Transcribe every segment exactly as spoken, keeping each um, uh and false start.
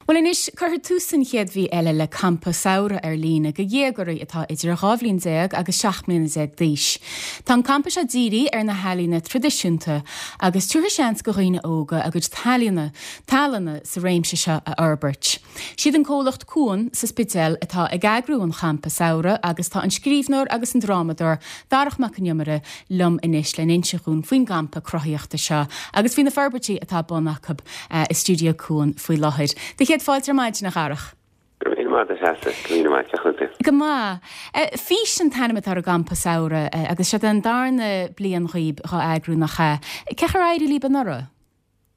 Bhuel anois cuirfear tús an chéad mhí eile le campa samhraidh ar líne do dhéagóirí atá idir dhá bhliain déag agus seacht mbliana déag d'aois. Tá an campa seo dírithe ar na healaíona traidisiúnta agus tabharfaidh seans do dhaoine óga a gcuid tallainne tallanna sa réimse seo a fhorbairt. Siad an comhlacht Cuan sa Spidéal atá ag eagrú an champa samhraidh agus tá an scríbhneoir agus an drámadóir Darach Mac Con Iomaire liom anois le n-inse dhúinn faoin gcampa cruthaíochta seo agus faoi na forbairtí atá bun acu uh, i stiúideo Cuan faoi láthair. De chéad fáilte ar maidin a Dharach. Go maith. Fís an t-ainm atá ar an gcampa samhraidh agus seo an darna bliain dhaoibh dhá eagrú nach ea. Cén chaoi ar éirigh libh anuraidh?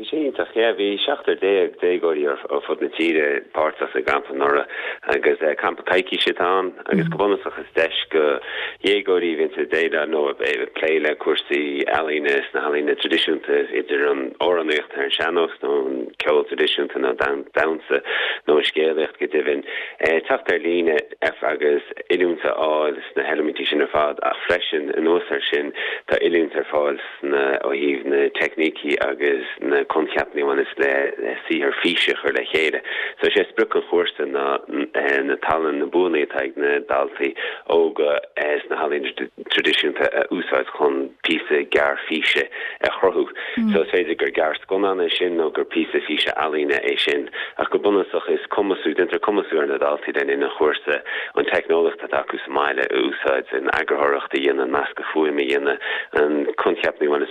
Bhí sé iontach yeah, bhí seachtar déag déagóirí ar fud na tíre páirteach sa gcampa anuraidh agus uh, campa coicíse atá ann agus go bunúsach is deis do dhéagóirí a bhíonn déileáil nó plé le cúrsaí ealaíne sna healaíona traidisiúnta idir an amhránaíocht ar an sean-nós nó an ceol traidisiúnta nó damhsa nó an scéalaíocht go deimhin eh, teacht ar líne agus oiliúint a fháil sna heilimintí sin ar fad ach freisin anuas air sin tá oiliúint ar fáil sna ó thaobh na teicnící agus na coincheapa a bhaineann le le saothar físe a chur le chéile. So sé sprioc an chúrsa ná eh, na tallann na buanna atá ag na daltaí óga eh, sna healaíona traidisiúnta a úsáid chun píosa gearr físe a chruthú. Mm. So is féidir gur gearrscannán é sin nó gur píosa físe ealaíne é sin ach go bunúsach is cumasú déantar cumasú ar na daltaí den ina chúrsa an teicneolaíocht atá acu sa mbaile a úsáid an eagarthóireacht a dhéanamh meascadh fuaime a dhéanamh an coincheap a bhaineann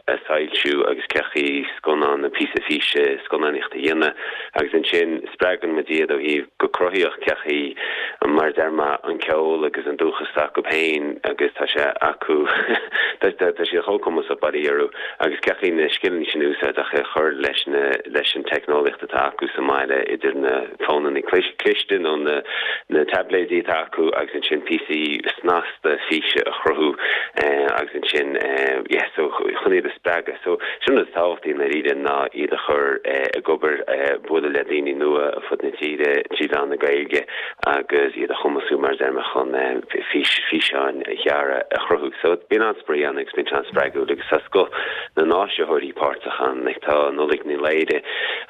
le soilsiú agus cén chaoi scannán na píosa físe scannánaíocht a dhéanamh agus ansin spreagann muid iad ó thaobh go cruthaíoch cén chaoi mar deir mé an ceol agus an dúchas acu féin agus tá sé acu tá sé chomh cumasach bailí orthu agus cén chaoi na scileanna sin úsáid ach chur leis na leis an teicneolaíocht atá acu sa mbaile idir na fónanna cliste nó na na tabléidí atá acu agus ansin píosaí snasta físe a chruthú eh, agus ansin eh, yeah, so chun iad a spreagadh so sin is tábhachtaí na ríide ná iad a chur eh, ag obair eh, bualadh le daoine nua ar fud na tíre trí mheán na Gaeilge agus iad a chumasú mar deir mé chun eh, fís físeáin ghearra a chruthú. So bíonn an-spraoi ann agus bíonn an-spreagúil agus tá scoth na n-áisitheoirí páirteach ann like tá Nollaig Ní Laoire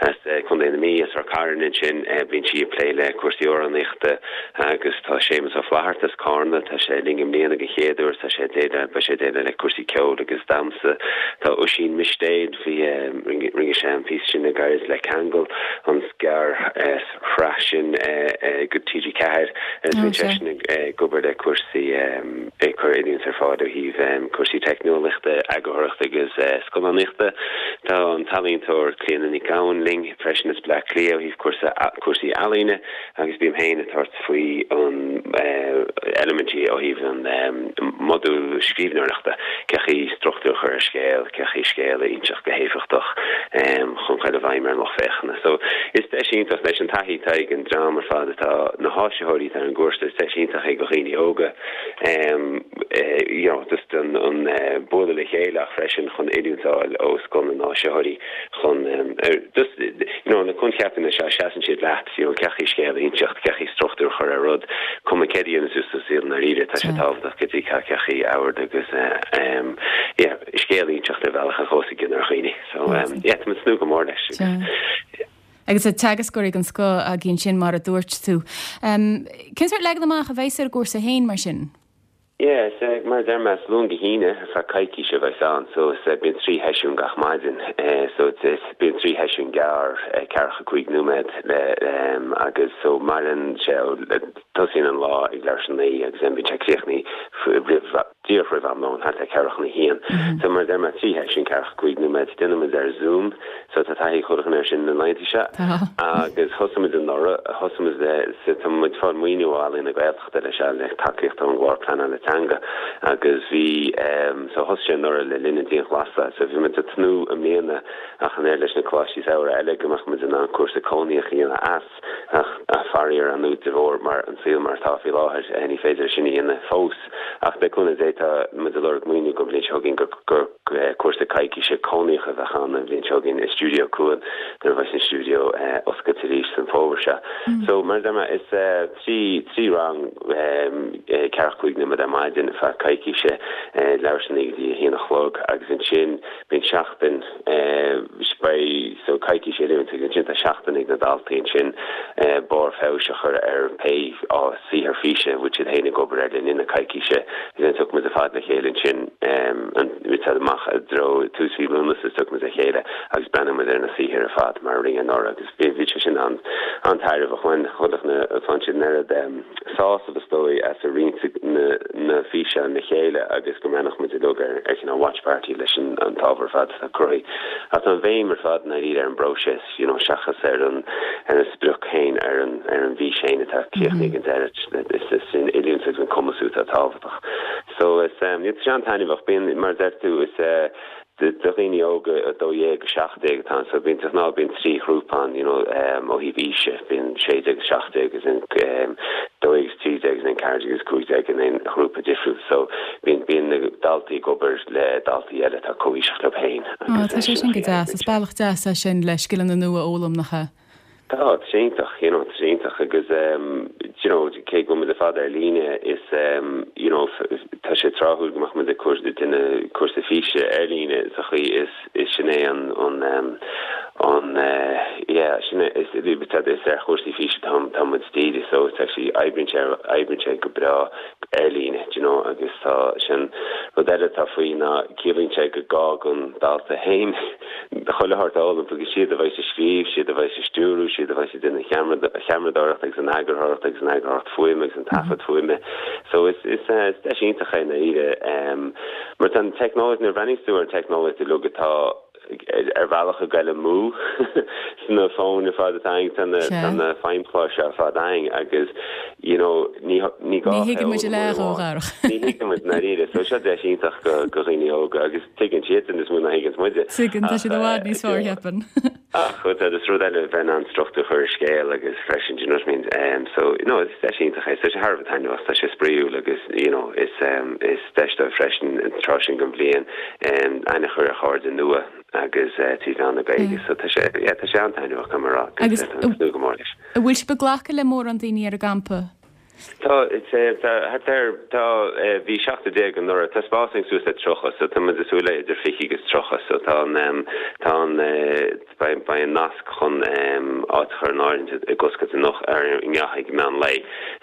as Contae na Mí as Ráth Cairn ansin bíonn sí ag plé le cúrsaí amhránaíochta agus tá Séamus Ó Flatharta as Carna tá sé linn i mbliana den chéad uair tá sé déileáil beidh sé déileáil le cúrsaí ceoil agus damhsa tá Oisín Mistéad bhí rinne sé an píosa sin a gairid le Ceangal an ghearrshraith sin go TG Ceathair bhí seisean ag obair le cúrsaí ag cur oiliúint ar fáil ó thaobh cúrsaí teicneolaíochta eagarthóireachta agus scannánaíochta Tá an t-ealaíontóir Clíona Ní Ghabhann linn freisin as Bleá Cliath ó thaobh cúrsaí ealaíne agus bím féin ag tabhairt faoi an eilimintí ó thaobh an modúl scríbhneoireachta cén chaoi struchtúr a chur ar scéal cén chaoi scéal a inseacht go héifeachtach chun chun a bheith ar an lucht féachana. So is deis iontach leis an taithí atá ag an dream ar fad atá na háisitheoirí ar an gcúrsa is deis iontach ag go dhaoine óga um, uh, you know, just an, an uh, bualadh le chéile ach freisin chun oiliúint a fháil ó scoth na n-áisitheoirí chun um, er, just you know, na coincheapa seo seasann siad leat you know, cén chaoi scéal a inseacht cén chaoi struchtúr a chur ar rud cuma céard a dhéanann tú sa saol na ríide tá sé tábhachtach go dtí cén chaoi ord agus uh, um, yeah, scéal a inseacht ar bhealach a chuaigh ar dhaoine so um, yeah, tá tnúth go mór leis. Agus a teagascóirí den scoth againn sin mar a dúirt tú. Um, Cén sórt leagan amach a bheas ar an gcúrsa féin mar sin? Yeah, so mar deir mé Luan go hAoine ar feadh coicíse a bheas ann, so is bíonn trí sheisiún gach maidin uh, so it's bíonn trí sheisiún gearr uh, ceathracha cúig nóiméad le um, agus so maireann sé tosaíonn an lá ag leathuair tar éis a naoi agus bíonn sé críochnaithe díreach roimh am lóin thart ar ceathrú chun a haon. Mm -hmm. So mar deir mé trí sheisiún ceathracha cúig nóiméad déanaimid ar Zoom, so tá taithí chun ar sin na laethanta seo agus thosaigh anuraidh thosaigh tá muid ag fáil maoiniú ó Ealaín na Gaeltachta leis le tacaíocht ón gclár pleanála teanga agus bhí um, so thosaigh sé anuraidh le linn an dianghlasála so bhí muid ag tnúth i mbliana ach an oiread leis na coláistí samhraidh eile go mbeadh muid in ann cúrsa cónaíoch a dhéanamh as ach faraor an de bharr mar an saol mar atá faoi láthair ní féidir sin a dhéanamh fós ach le cúnamh Dé tá muid ag lorg maoiniú don bhliain seo chugainn gur gur cúrsa coicíse cónaíoch a bheadh ann an bhliain seo chugainn i stiúideo Cuan nuair a bheas an stiúideo oscailte arís san fómhar seo. So mar a deir mé is trí trí rang ceathracha cúig nóiméad ar maidin ar feadh coicíse leathuair tar éis a naoi go dtí a haon a chlog agus ansin bíonn seachtain beidh so coicís oiliúint agus ansin tá seachtain ag na daltaí ansin barr feabhais a chur ar pé saothar físe a bhfuil siad féin ag obair air le linn na coicíse agus then tiocfaidh muid ar fad le chéile ansin an amach i dtreo tús mhí Lúnasa tiocfaidh muid le chéile agus breathnóidh muid ar na saothair ar fad mar a rinneadh anuraidh agus bhí sé sin an an-tairbheach bhain chuile na bhain siad an oiread sásamh is dóigh as a roinnt na na físeáin le chéile agus go mbreathnódh muid uilig ar ar cineál watch party leis an an t-ábhar ar fad atá cruthaithe. Ach tá an bhéim ar fad i ndáiríre ar an bpróiseas you know seachas ar an ar an sprioc féin ar an ar an bhfís féin atá críochnaithe ag an deireadh is is an oiliúint agus an cumasú atá tábhachtach. So is um, tá sé an-taitneamhach bíonn mar a deir tú is uh, do dhaoine óga a dó dhéag go seacht déag atá ann so bíonn de ghnáth bíonn trí ghrúpa ann you know um, ó thaobh aoise bíonn sé déag agus seacht déag agus an um, dó dhéag agus trí déag agus an ceathair déag agus cúig déag in aon ghrúpa difriúil so bíonn bíonn na daltaí ag obair le daltaí eile atá comhaoiseach leo féin. Tá sé sin go deas, is bealach deas é sin le scileanna nua a fhoghlaim nach ea. Tá sé iontach you know, tá iontach agus um, you know, cé go bhfuil muid ar fad ar líne is um, you know, tá sé tráthúil go mbeadh muid ag déanamh cúrsa físe ar líne sa chaoi is is sin é an an um, an uh, yeah, sin é is is ar chúrsaí físe tá tá muid dírithe so it's actually oibríonn sé oibríonn sé go breá ar líne you know, agus tá sin rud eile tá faoi ná ciallaíonn sé go gá don dalta féin chuile shórt a fhoghlaim agus siad a bheidh ag scríobh siad a bheidh ag stiúradh siad a bheidh ag déanamh cheamaradóireacht agus an eagarthóireacht agus an eagarthóireacht fuaime agus an taifead fuaime. So is is uh, is deis iontach é na um, mar tá teicneolaíocht na bhreathnaíonn tú ar teicneolaíocht uilig atá ar bhealach ag goil amú sna fóin ar fad atá againn tá na feidhmchláir seo ar fad againn agus you know ní ní gá Ní thuigeann muid le rógharach. Ní thuigeann muid dáiríre so seo deis iontach go go dhaoine óga agus tuigeann siad níos mó ná thuigeann muide. Tuigeann tá siad i bhfad níos fearr cheapaim. Ach chut is rud eile bheith an struchtúr chur scéal agus freisin you know what I mean um, so you know is deis iontach é so sé thar a bheith taitneamhach tá sé spraíúil agus you know is um, is deis dóibh freisin an tráth sin den bhliain um, aithne a chur ar chairde nua agus uh, trí mheán na Gaeilge so tá sé yeah, tá sé an-taitneamhach go mar Agus go go mór leis. An bhfuil sibh ag glacadh le mórán daoine ar an gcampa? Tá tá tá bhí seachtar déag anuraidh tá spás suas le tríocha so tá muid ag súil le idir fiche agus tríocha so tá tá beidh an nasc chun áit a chur in áirithe ag oscailt anocht ar ag meán lae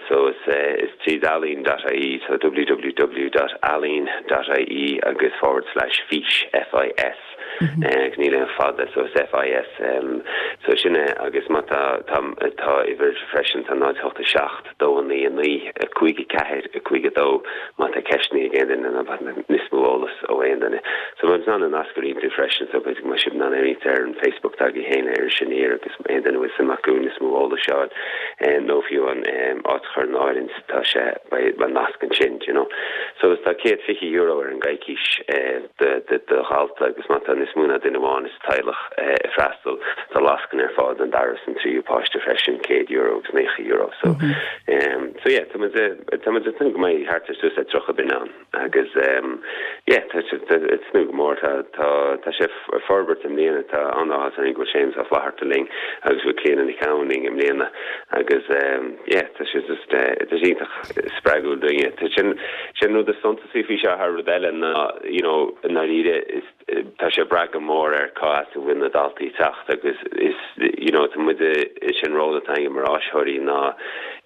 so is is trí ealaín.ie so www.ealaín.ie agus forward slash fís FIS. Mm níl aon fada so is FIS um, so sin é agus má tá tá tá uimhir freisin tá náid hocht a seacht dó a naoi a naoi a cúig a ceathair a cúig a dó má tá ceisteanna ag aon duine níos mó eolas ó aon duine. So mar an nasc iontu freisin so b'fhéidir má sib ná ar an Facebook tag héin ar sin ar agus aon duine bhfuil suim acu níos mó eolais seo nó fiú an áit a chur in áirithe tá sé beidh nasc ansin you know. So is tá céad fiche euro ar an gcoicís de de dhalta agus má tá níos mó ná duine amháin sa teaghlach ag freastal tá lascaine ar fáil don dara is an tríú páiste freisin céad euro agus naocha euro so mm -hmm. um, so yeah tá tá tnúth go mbeidh thart ar suas le tríocha duine ann agus um, yeah tá tnúth go mór tá tá tá sé forbairt i mbliana tá an-áthas orainn go bhfuil Séamus Ó Flatharta linn agus bhfuil Clíona Nic Gabhann linn i mbliana agus um, yeah tá sé just uh, tá sé iontach spreagúil dúinne Tá sin sin rud is suntasaí faoi seo thar rud eile ná you know dáiríre is tá sé brath go mór ar cá as a bhfuil na daltaí ag teacht agus is you know tá muid is sin ról atá againn mar áisitheoirí ná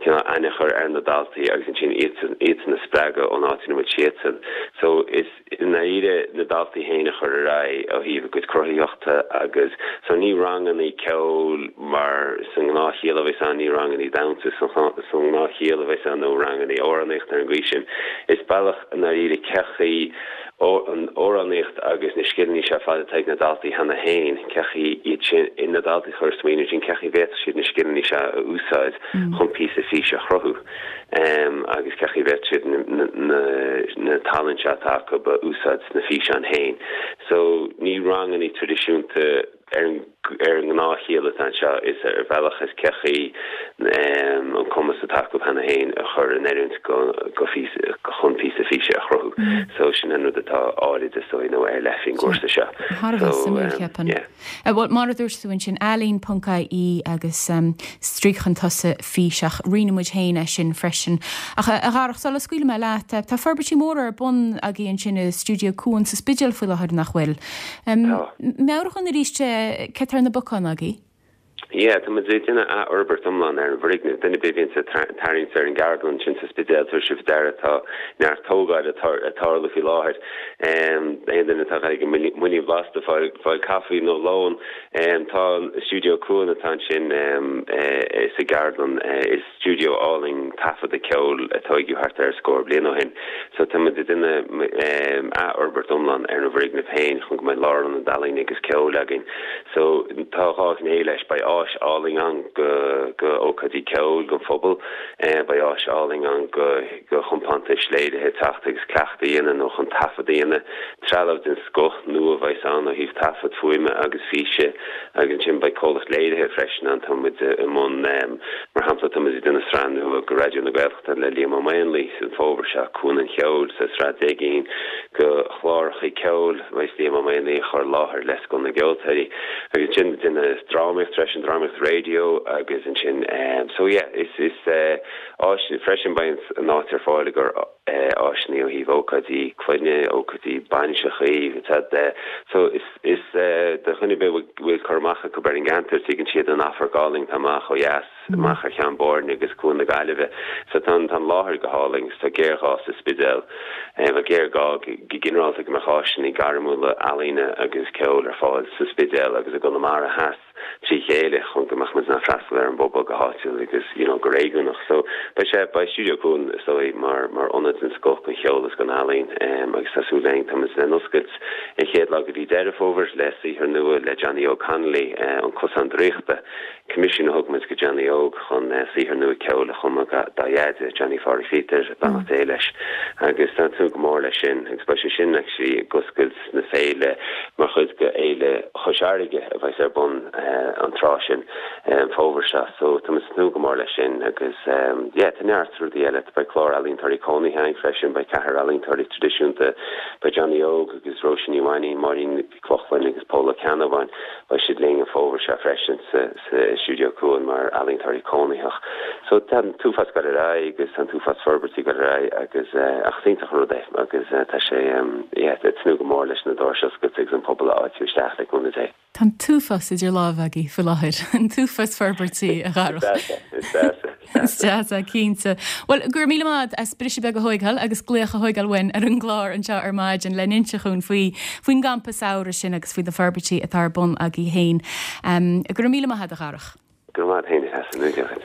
cineál aithne a chur ar na daltaí agus ansin iad iad a spreagadh ón áit ina bhfuil siadsan. So is dáiríre na daltaí féin a chur ar aghaidh ó thaobh a gcuid cruthaitheachta agus so ní ranganna ceoil mar sa ngnáthchiall a bheas ann ní ranganna damhsa sa ngnáthchiall a bheas ann nó ranganna amhránaíochta ar an gcaoi sin. Is bealach dáiríre cén chaoi an amhránaíocht agus na scileanna seo fad atá ag na daltaí cheana féin cén chaoi iad sin na daltaí chur smaoineamh sin cén chaoi bhféadfadh siad na scileanna seo a úsáid chun píosa físe a chruthú. Um, agus cén chaoi bhféadfadh siad na, na, na tallann seo atá acu a úsáid sna físeáin féin. So ní ranganna traidisiúnta ar ar an ngnáthchiall atá seo is ar bhealach is cén chaoi an cumas atá acu cheana féin a chur in oiriúint go go phíosa chun píosa físe a chruthú. So sin an rud atá áirithe so nó ar leith faoin gcúrsa seo. Thar a bheith suimiúil ceapaim. Bhuel mar a dúirt tú ansin ealaín ponc ie agus stríoc chun tosaigh fís ach roinnfidh muid féin é sin freisin. Ach a Dharach sula scaoilfidh mé leat, tá forbairtí móra ar bun agaibh ansin i Stiúideo Cuan sa Spidéal faoi láthair nach bhfuil. Meabhraigh dúinn arís céard atá ar na bacáin agaibh? Yeah, tá muid ag déanamh athfhorbairt iomlán ar an bhfoirgneamh. Duine ar bith a bhíonn ag tarraingt ar an gceardlann sin sa Spidéal tabharfaidh sibh faoi deara tá neart tógáil ag tarlú faoi láthair. Aon duine atá ag an Muileann Blasta fáil fáil caife nó lón, tá an Stiúideo Cuan atá ansin sa gceardlann is stiúideo álainn taifeadta ceoil a tógadh thart ar scór bliain ó shin. So tá muid ag déanamh athfhorbairt iomlán ar an bhfoirgneamh féin chun go mbeidh lárionad ealaíne agus ceoil againn. So tá dhá ghné leis beidh áis álainn ann go go ócáidí ceoil don phobal, beidh áis álainn ann go go chompántais léirithe teacht agus cleachtadh a dhéanamh nó chun taifead a dhéanamh, trealamh den scoth nua a bheas ann ó thaobh taifead fuaime agus físe agus ansin beidh comhlacht léirithe freisin ann tá muid i mbun mar shampla tá muid ag déanamh sraith nua go Raidió na Gaeltachta le Liam Ó Maonlaí san fómhar seo Cuan an Cheoil sa sraith deich gcinn go chláracha ceoil a bheas Liam Ó Maonlaí a chur i láthair le Scoil na gCeoltóirí agus ansin déanamh drámaíocht freisin drámaíocht raidió agus ansin so yeah is is áis freisin beidh an áit ar fáil gur áiseanna ó thaobh ócáidí clainne ócáidí bainiseacha so is is do dhuine ar bith bhfuil cur amach acu ar an gceantar tuigeann siad an radharc álainn atá amach ó dheas amach ar Cheann Boirne agus Cuan na Gaillimhe so tá an láthair go hálainn tá géarghá sa Spidéal um, géarghá go ginearálta go mbeadh áiseanna gairmiúla ealaíne agus ceoil ar fáil sa Spidéal agus i gConamara Theas trí chéile chun go mbeadh muid ag freastal ar an bpobal go háitiúil agus you know, go réigiúnach. So beidh sé beidh Stiúideo Cuan so mar mar ionad den scoth don cheol agus don ealaín um, agus tá súil againn tá muid le n-oscailt an chéad lá de mhí Deireadh Fómhair le saothar nua le Johnny Óg Connolly uh, an Cosán Draíochta. Coimisiún a thug muid go Johnny Óg chun uh, saothar nua ceoil a chumadh dá dheaide Johnny Phádraig Peter beannacht Dé leis agus tá tú go mór leis sin agus beidh sé sin actually ag oscailt na féile mar chuid de Fhéile Chois Fharraige a bheas ar bun uh, an tráth sin um, fómhar seo so tá muid tnúth go mór leis sin agus um, yeah, tá neart rudaí eile beidh clár ealaíontóirí cónaithe ann freisin beidh ceathrar ealaíontóirí traidisiúnta beidh Johnny Óg agus Róisín Ní Mhainnín Máirín Nic Lochlainn agus Pól Ó Ceannabháin beidh siad linn an fómhar seo freisin sa, sa Stiúideo Cuan mar ealaíontóirí cónaitheach. So tá an t-uafás ag dul ar aghaidh agus an t-uafás forbairtí ag dul ar aghaidh agus uh, ach iontach rud é agus uh, tá sé um, yeah, tnúth go mór leis na doirse a oscailt agus an pobal a fháiltiú isteach le cúnamh Dé. Tá an t-uafás idir lámha agaibh faoi láthair an t-uafás forbairtí a Dharach. Is deas é cinnte. Well gur mí amad as brise be go hóigeil agus gléocha hóigeil bhain ar an gclár anseo ar maidin le n-inse dúinn faoi faoin gcampa samhraidh sin agus faoi na forbairtí atá ar bun agaibh féin. Um, gur míle maith a Dharach. Go maith féin.